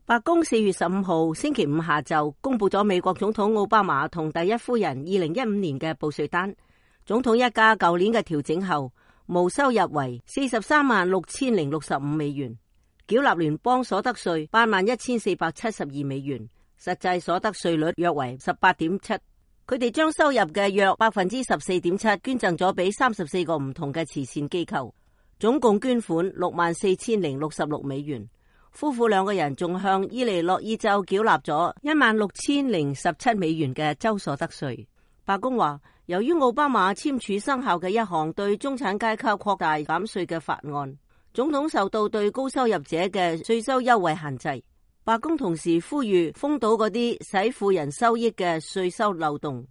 白宮4月15號星期五下晝公布咗美國總統奧巴馬同第一夫人2015年嘅報稅單。總統一家舊年嘅調整後，無收入為436065美元，繳納聯邦所得稅81472美元，實際所得稅率約為18.7%。佢哋將收入嘅約14.7%捐贈咗俾34個唔同嘅慈善機構，總共捐款64066美元。夫婦兩個人仲向伊利諾伊州繳納咗16017美元嘅州所得稅。白宮話，由於奧巴馬簽署生效嘅一項對中產階級擴大減稅嘅法案，總統受到對高收入者嘅稅收優惠限制。白宮同時呼籲封堵嗰啲使富人收益嘅稅收漏洞。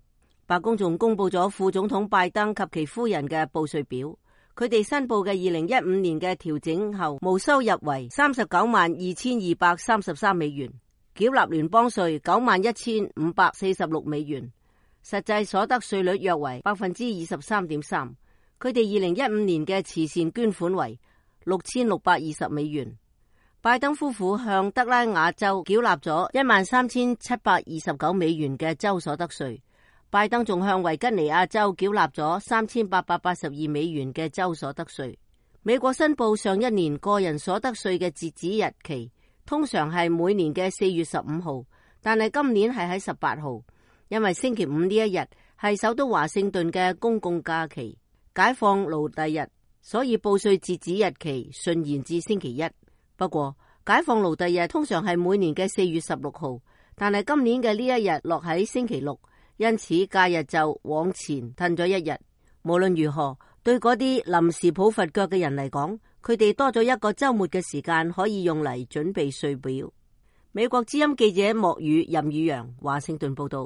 白宮仲公布咗副總統拜登及其夫人嘅報稅表。佢哋申報嘅2015年嘅調整後無收入為392233美元，繳納聯邦稅91546美元，實際所得稅率約為23.3%。佢哋2015年嘅慈善捐款為6620美元。拜登夫婦向德拉瓦州繳納咗13729美元嘅州所得稅。拜登仲向維吉尼亞州繳納咗3882美元嘅州所得稅。美國申報上一年個人所得稅嘅截止日期通常係每年嘅4月15號，但係今年係喺18號，因為星期五呢一日係首都華盛頓嘅公共假期，解放奴隸日，所以報稅截止日期順延至星期一。不過解放奴隸日通常係每年嘅4月16號，但係今年嘅呢一日落喺星期六，因此假日就往前褪咗一日。無論如何，對嗰啲臨時抱佛腳嘅人嚟講，佢哋多咗一個週末嘅時間可以用嚟準備稅表。美國之音記者莫宇任宇陽華盛頓報道。